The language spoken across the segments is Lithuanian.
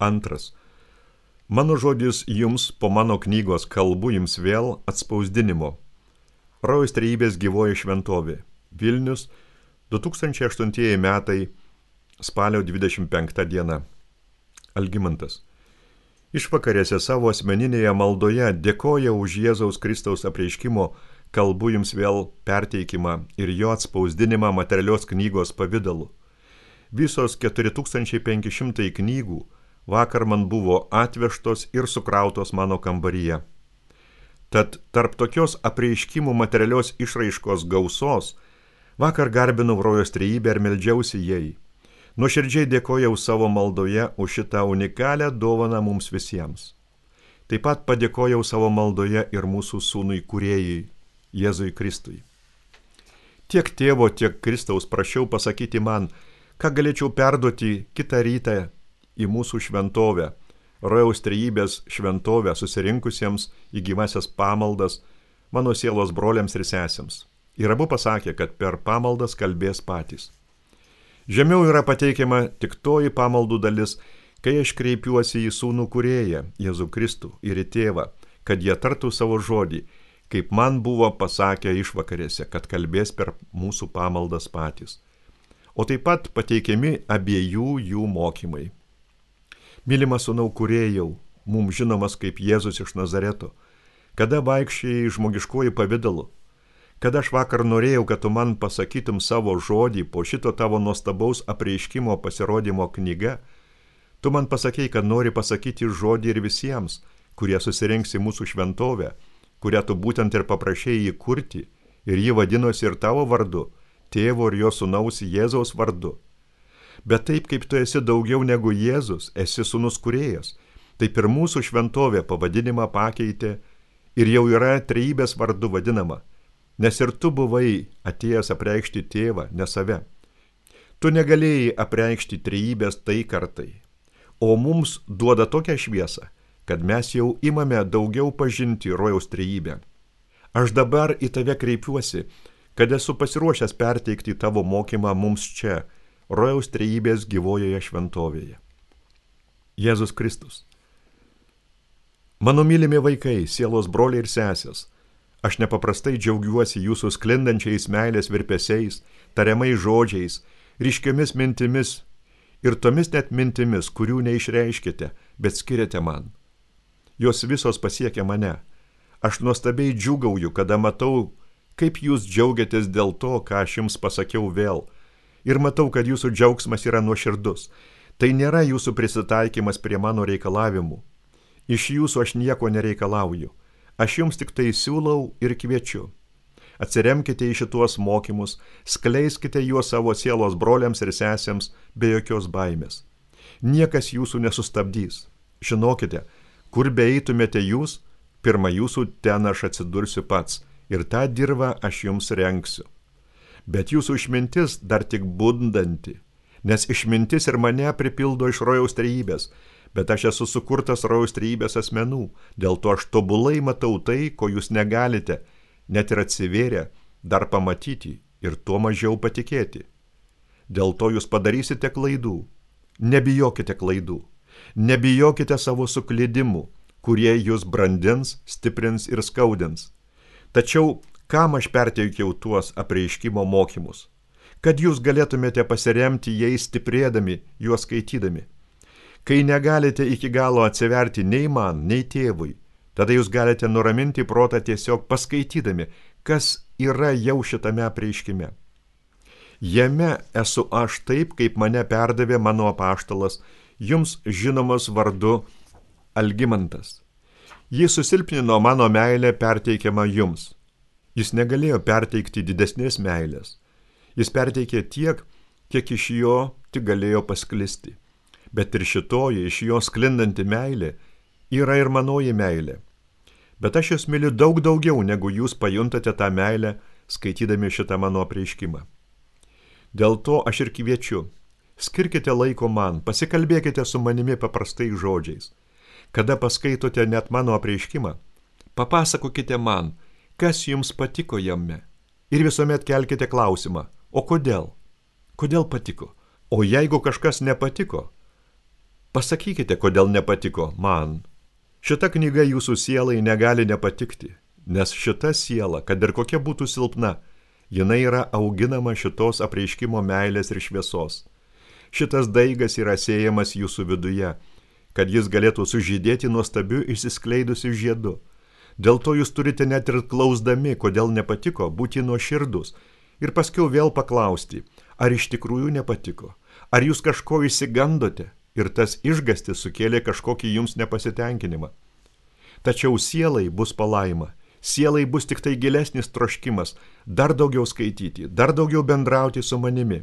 Antras. Mano žodis jums po mano knygos kalbu jums vėl atspausdinimo. Rojaus Trejybės gyvoji šventovė. Vilnius, 2008 metai, spalio 25 diena. Algimantas. Išvakarėse savo asmeninėje maldoje dėkoja už Jėzaus Kristaus apreiškimo kalbu jums vėl perteikimą ir jo atspausdinimą materialios knygos pavidalu. Visos 4500 knygų vakar man buvo atvežtos ir sukrautos mano kambaryje. Tad tarp tokios apreiškimų materialios išraiškos gausos vakar garbinau Rojaus Trejybę ir meldžiausi jai. Nuoširdžiai dėkojau savo maldoje už šitą unikalią dovaną mums visiems. Taip pat padėkojau savo maldoje ir mūsų sūnui kūrėjui, Jėzui Kristui. Tiek tėvo, tiek Kristaus prašiau pasakyti man, ką galėčiau perduoti kitą rytą į mūsų šventovę, Rojaus Trejybės šventovę susirinkusiems į gyvasias pamaldas mano sielos broliams ir sesėms. Ir abu pasakė, kad per pamaldas kalbės patys. Žemiau yra pateikiama tik toji pamaldų dalis, kai aš kreipiuosi į sūnų kūrėją, Jėzų Kristų ir į tėvą, kad jie tartų savo žodį, kaip man buvo pasakę išvakarėse, kad kalbės per mūsų pamaldas patys. O taip pat pateikiami abiejų jų mokymai. Mylimas sūnau kūrėjau, mums žinomas kaip Jėzus iš Nazareto, kada vaikščiai žmogiškuoju pavidalu, kada aš vakar norėjau, kad tu man pasakytum savo žodį po šito tavo nuostabaus apreiškimo pasirodymo knyga, tu man pasakei, kad nori pasakyti žodį ir visiems, kurie susirinks į mūsų šventovę, kurią tu būtent ir paprašėjai įkurti, ir ji vadinosi ir tavo vardu, tėvo ir jo sūnaus Jėzaus vardu. Bet taip, kaip tu esi daugiau negu Jėzus, esi sūnus kūrėjas, taip ir mūsų šventovė pavadinimą pakeitė ir jau yra Trejybės vardu vadinama, nes ir tu buvai atėjęs apreikšti tėvą, ne save. Tu negalėjai apreikšti Trejybės tai kartai, o mums duoda tokią šviesą, kad mes jau imame daugiau pažinti Rojaus Trejybę. Aš dabar į tave kreipiuosi, kad esu pasiruošęs perteikti tavo mokymą mums čia, Rojaus Trejybės gyvojoje šventovėje. Jėzus Kristus. Mano mylimi vaikai, sielos broliai ir sesės, aš nepaprastai džiaugiuosi jūsų sklindančiais meilės virpesiais, tariamais žodžiais, ryškiomis mintimis ir tomis net mintimis, kurių neišreiškite, bet skiriate man. Jos visos pasiekia mane. Aš nuostabiai džiūgauju, kada matau, kaip jūs džiaugiatės dėl to, ką aš jums pasakiau vėl. Ir matau, kad jūsų džiaugsmas yra nuoširdus. Tai nėra jūsų prisitaikymas prie mano reikalavimų. Iš jūsų aš nieko nereikalauju. Aš jums tik tai siūlau ir kviečiu. Atsiremkite į šituos mokymus, skleiskite juos savo sielos broliams ir sesėms be jokios baimės. Niekas jūsų nesustabdys. Žinokite, kur beeitumėte jūs, pirma jūsų ten aš atsidursiu pats ir tą dirvą aš jums renksiu. Bet jūsų išmintis dar tik bundanti, nes išmintis ir mane pripildo iš Rojaus Trejybės, bet aš esu sukurtas Rojaus Trejybės asmenų, dėl to aš tobulai matau tai, ko jūs negalite, net ir atsivėrę, dar pamatyti ir tuo mažiau patikėti. Dėl to jūs padarysite klaidų. Nebijokite klaidų. Nebijokite savo suklydimų, kurie jūs brandins, stiprins ir skaudins. Tačiau kam aš perteikiau tuos apreiškimo mokymus? Kad jūs galėtumėte pasiremti jais stiprėdami, juos skaitydami. Kai negalite iki galo atsiverti nei man, nei tėvui, tada jūs galite nuraminti protą tiesiog paskaitydami, kas yra jau šitame apreiškime. Jame esu aš taip, kaip mane perdavė mano apaštalas, jums žinomas vardu Algimantas. Jis susilpnino mano meilę perteikiamą jums. Jis negalėjo perteikti didesnės meilės. Jis perteikė tiek, kiek iš jo tik galėjo pasklisti. Bet ir šitoji iš jo sklindanti meilė yra ir manoji meilė. Bet aš jūs myliu daug daugiau, negu jūs pajuntate tą meilę, skaitydami šitą mano apreiškimą. Dėl to aš ir kviečiu. Skirkite laiko man, pasikalbėkite su manimi paprastais žodžiais. Kada paskaitote net mano apreiškimą, papasakokite man, kas jums patiko jame. Ir visuomet kelkite klausimą, o kodėl? Kodėl patiko? O jeigu kažkas nepatiko, Pasakykite, kodėl nepatiko man. Šita knyga jūsų sielai negali nepatikti, nes šita siela, kad ir kokia būtų silpna, jinai yra auginama šitos apreiškimo meilės ir šviesos. Šitas daigas yra sėjamas jūsų viduje, kad jis galėtų sužydėti nuostabiu išsiskleidusiu žiedu. Dėl to jūs turite net ir klausdami, kodėl nepatiko, būti nuoširdus ir paskiau vėl paklausti, ar iš tikrųjų nepatiko, ar jūs kažko išsigandote ir tas išgastis sukėlė kažkokį jums nepasitenkinimą. Tačiau sielai bus palaima, sielai bus tik tai gilesnis troškimas, dar daugiau skaityti, dar daugiau bendrauti su manimi.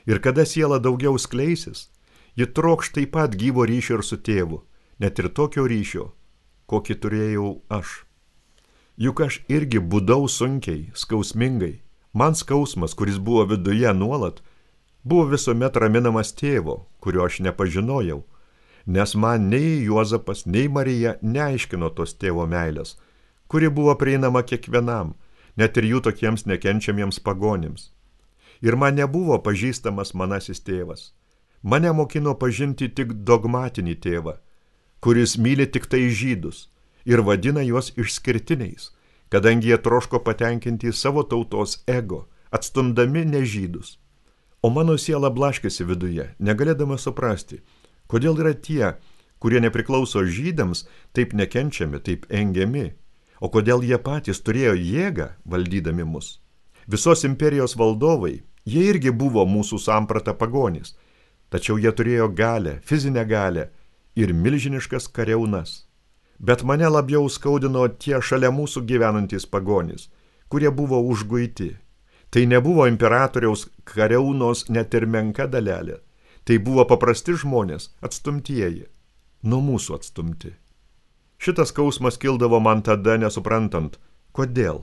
Ir kada siela daugiau skleisis, ji trokš taip pat gyvo ryšio ir su tėvu, net ir tokio ryšio, kokį turėjau aš. Juk aš irgi būdau sunkiai, skausmingai. Man skausmas, kuris buvo viduje nuolat, buvo visuomet raminamas tėvo, kurio aš nepažinojau, nes man nei Juozapas, nei Marija neaiškino tos tėvo meilės, kuri buvo prieinama kiekvienam, net ir jų tokiems nekenčiamiems pagonims. Ir man nebuvo pažįstamas manasis tėvas. Mane mokino pažinti tik dogmatinį tėvą, kuris myli tik tai žydus ir vadina juos išskirtiniais, kadangi jie troško patenkinti savo tautos ego, atstumdami nežydus. O mano siela blaškėsi viduje, negalėdama suprasti, kodėl yra tie, kurie nepriklauso žydams, taip nekenčiami, taip engiami, o kodėl jie patys turėjo jėgą valdydami mus. Visos imperijos valdovai, jie irgi buvo mūsų samprata pagonys, tačiau jie turėjo galę, fizinę galę ir milžiniškas kariaunas. Bet mane labiau skaudino tie šalia mūsų gyvenantys pagonys, kurie buvo užguiti. Tai nebuvo imperatoriaus kariaunos net ir menka dalelė. Tai buvo paprasti žmonės, atstumtieji, nuo mūsų atstumti. Šitas skausmas kildavo man tada nesuprantant, kodėl.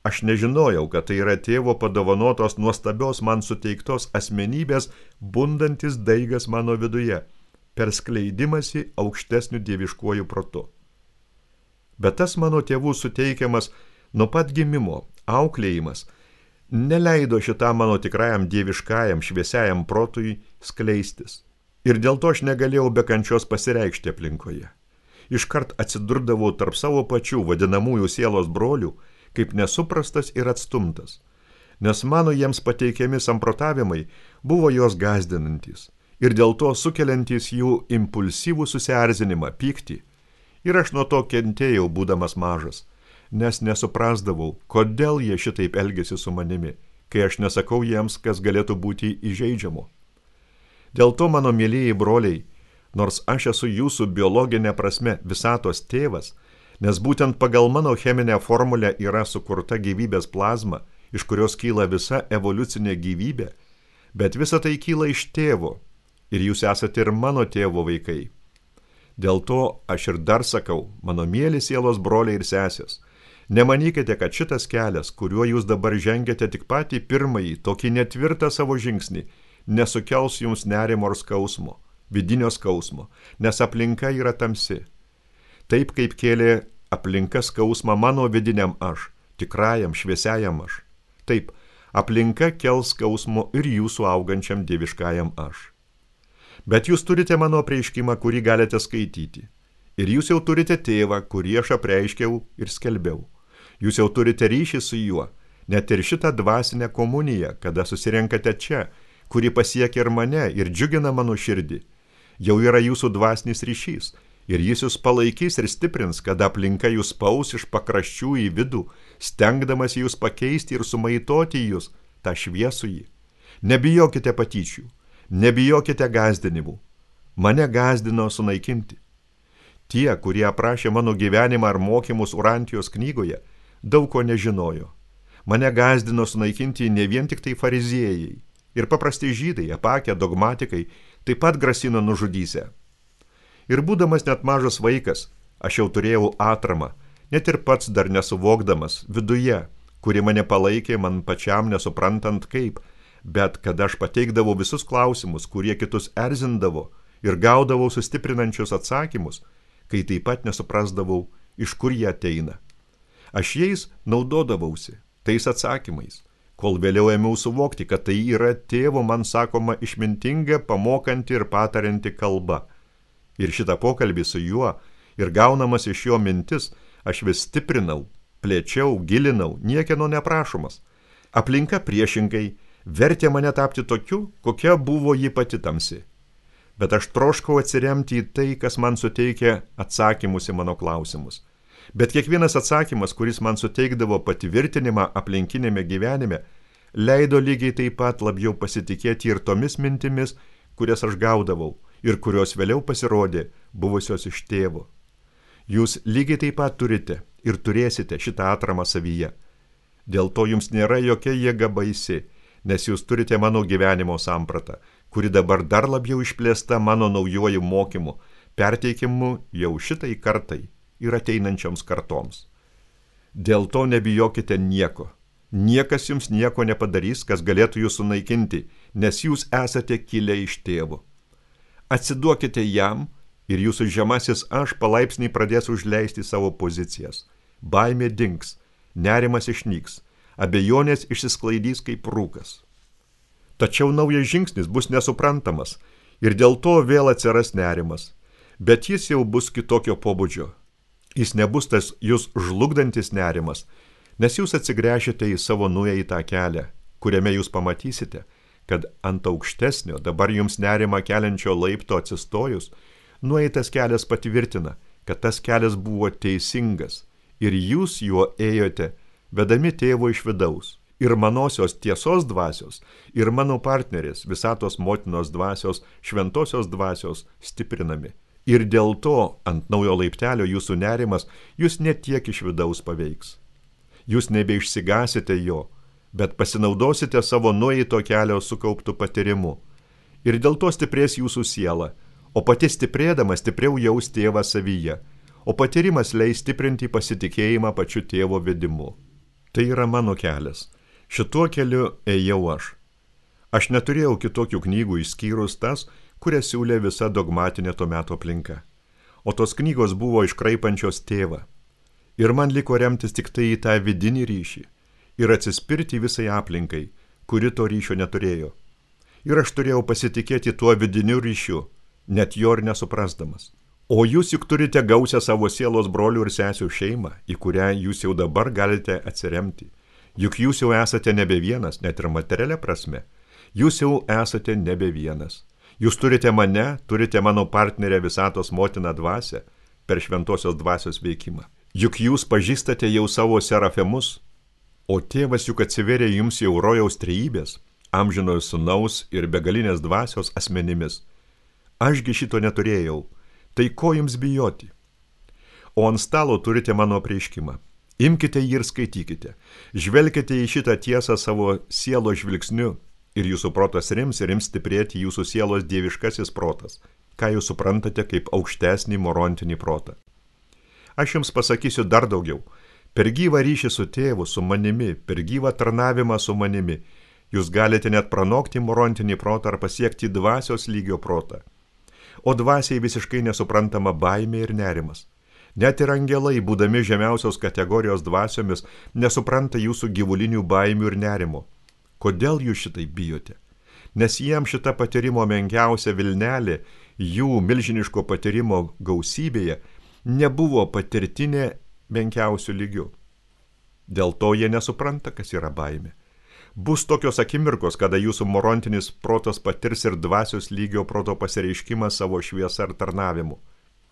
Aš nežinojau, kad tai yra tėvo padovanotos nuostabios man suteiktos asmenybės bundantis daigas mano viduje, per skleidimąsi aukštesniu dieviškuoju protu. Bet tas mano tėvų suteikiamas nuo pat gimimo auklėjimas neleido šitam mano tikrajam dieviškajam šviesiajam protui skleistis. Ir dėl to aš negalėjau be kančios pasireikšti aplinkoje. Iškart atsidurdavau tarp savo pačių vadinamųjų sielos brolių, kaip nesuprastas ir atstumtas, nes mano jiems pateikiami samprotavimai buvo jos gąsdinantys ir dėl to sukeliantys jų impulsyvų susierzinimą, pyktį. Ir aš nuo to kentėjau, būdamas mažas, nes nesuprasdavau, kodėl jie šitaip elgėsi su manimi, kai aš nesakau jiems, kas galėtų būti įžeidžiamu. Dėl to, mano mylėjai broliai, nors aš esu jūsų biologinė prasme visatos tėvas, nes būtent pagal mano cheminę formulę yra sukurta gyvybės plazma, iš kurios kyla visa evoliucinė gyvybė, bet visa tai kyla iš tėvo, ir jūs esate ir mano tėvo vaikai. Dėl to aš ir dar sakau, mano mieli sielos broliai ir sesės, nemanykite, kad šitas kelias, kuriuo jūs dabar žengiate tik patį pirmąjį, tokį netvirtą savo žingsnį, nesukels jums nerimo ar skausmo, vidinio skausmo, nes aplinka yra tamsi. Taip kaip kėlė aplinka skausmą mano vidiniam aš, tikrajam, šviesiajam aš. Taip, aplinka kels skausmo ir jūsų augančiam dieviškajam aš. Bet jūs turite mano apreiškimą, kurį galite skaityti. Ir jūs jau turite tėvą, kurį aš apreiškiau ir skelbiau. Jūs jau turite ryšį su juo, net ir šitą dvasinę komuniją, kada susirenkate čia, kuri pasiekia ir mane ir džiugina mano širdį. Jau yra jūsų dvasinis ryšys ir jis jūs palaikys ir stiprins, kada aplinka jūs spaus iš pakraščių į vidų, stengdamas jūs pakeisti ir sumaitoti jūs, tą šviesųjį. Nebijokite patyčių. Nebijokite gąsdinimų. Mane gąsdino sunaikinti. Tie, kurie aprašė mano gyvenimą ar mokymus Urantijos knygoje, daug ko nežinojo. Mane gąsdino sunaikinti ne vien tik tai fariziejai. Ir paprasti žydai, apakę dogmatikai, taip pat grasino nužudysę. Ir būdamas net mažas vaikas, aš jau turėjau atramą, net ir pats dar nesuvokdamas, viduje, kuri mane palaikė man pačiam nesuprantant kaip, bet kad aš pateikdavau visus klausimus, kurie kitus erzindavo ir gaudavau sustiprinančius atsakymus, kai taip pat nesuprasdavau, iš kur jie ateina. Aš jais naudodavausi, tais atsakymais, kol vėliau ėmiau suvokti, kad tai yra tėvo man sakoma išmintinga, pamokanti ir patarianti kalba, Ir šitą pokalbį su juo ir gaunamas iš jo mintis aš vis stiprinau, plėčiau, gilinau, niekieno neprašomas. Aplinka priešingai vertė mane tapti tokiu, kokia buvo ji pati tamsi. Bet aš troškau atsiremti į tai, kas man suteikia atsakymus į mano klausimus. Bet kiekvienas atsakymas, kuris man suteikdavo patvirtinimą aplinkinėme gyvenime, leido lygiai taip pat labiau pasitikėti ir tomis mintimis, kurias aš gaudavau ir kurios vėliau pasirodė buvusios iš tėvo. Jūs lygiai taip pat turite ir turėsite šitą atramą savyje. Dėl to jums nėra jokia jėga baisi, nes jūs turite mano gyvenimo sampratą, kuri dabar dar labiau išplėsta mano naujuoju mokymu, perteikimu jau šitai kartai ir ateinančioms kartoms. Dėl to nebijokite nieko. Niekas jums nieko nepadarys, kas galėtų jūs sunaikinti, nes jūs esate kilę iš tėvo. Atsiduokite jam ir jūsų žemasis aš palaipsniui pradės užleisti savo pozicijas. Baimė dings, nerimas išnyks, abejonės išsisklaidys kaip rūkas. Tačiau naujas žingsnis bus nesuprantamas ir dėl to vėl atsiras nerimas, bet jis jau bus kitokio pobūdžio. Jis nebus tas jūs žlugdantis nerimas, nes jūs atsigręšite į savo nueitą kelią, kuriame jūs pamatysite, kad ant aukštesnio, dabar jums nerima keliančio laipto atsistojus, nueitas kelias patvirtina, kad tas kelias buvo teisingas ir jūs juo ėjote, vedami tėvo iš vidaus. Ir manosios tiesos dvasios, ir mano partnerės, visatos motinos dvasios, šventosios dvasios stiprinami. Ir dėl to ant naujo laiptelio jūsų nerimas jūs net tiek iš vidaus paveiks. Jūs nebeišsigasite jo, bet pasinaudosite savo nueito kelio sukauptų patyrimu. Ir dėl to stiprės jūsų siela, o pati stiprėdama stipriau jaus tėvą savyje, o patyrimas leis stiprinti pasitikėjimą pačiu tėvo vedimu. Tai yra mano kelias. Šituo keliu ėjau aš. Aš neturėjau kitokių knygų išskyrus tas, kurias siūlė visa dogmatinė to meto aplinka. O tos knygos buvo iškraipančios tėvą. Ir man liko remtis tik tai į tą vidinį ryšį ir atsispirti visai aplinkai, kuri to ryšio neturėjo. Ir aš turėjau pasitikėti tuo vidiniu ryšiu, net jo ir nesuprasdamas. O jūs juk turite gausią savo sielos brolių ir sesių šeimą, į kurią jūs jau dabar galite atsiremti. Juk jūs jau esate nebe vienas, net ir materialia prasme. Jūs jau esate nebe vienas. Jūs turite mane, turite mano partnerę visatos motiną dvasią per šventosios dvasios veikimą. Juk jūs pažįstate jau savo serafemus, o tėvas juk atsiverė jums jau rojaus trejybės, amžinojo sūnaus ir begalinės dvasios asmenimis. Ašgi šito neturėjau, tai ko jums bijoti? O ant stalo turite mano apreiškimą. Imkite jį ir skaitykite. Žvelkite į šitą tiesą savo sielos žvilgsniu ir jūsų protas rims ir ims stiprėti jūsų sielos dieviškasis protas, ką jūs suprantate kaip aukštesnį morontinį protą. Aš jums pasakysiu dar daugiau. Per gyvą ryšį su tėvu, su manimi, per gyvą tarnavimą su manimi, jūs galite net pranokti morontinį protą ar pasiekti dvasios lygio protą. O dvasiai visiškai nesuprantama baimė ir nerimas. Net ir angelai, būdami žemiausios kategorijos dvasiomis, nesupranta jūsų gyvulinių baimių ir nerimo. Kodėl jūs šitai bijote? Nes jiems šita patyrimo menkiausia vilnelė, jų milžiniško patyrimo gausybėje, nebuvo patirtinė menkiausių lygių. Dėl to jie nesupranta, kas yra baimė. Bus tokios akimirkos, kada jūsų morontinis protas patirs ir dvasios lygio proto pasireiškimą savo šviesą ir tarnavimu.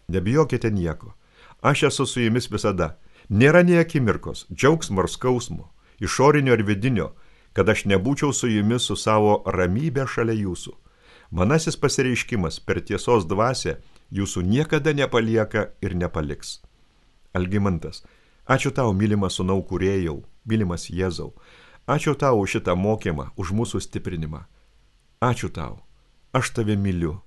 Nebijokite nieko. Aš esu su jumis visada. Nėra nei akimirkos, džiaugsmo ar skausmo, išorinio ir vidinio, kad aš nebūčiau su jumis su savo ramybė šalia jūsų. Manasis pasireiškimas per tiesos dvasią jūsų niekada nepalieka ir nepaliks. Algimantas, ačiū tau, mylimas sūnau kūrėjau, mylimas Jėzau. Ačiū tau už šitą mokymą, už mūsų stiprinimą. Ačiū tau, aš tave myliu.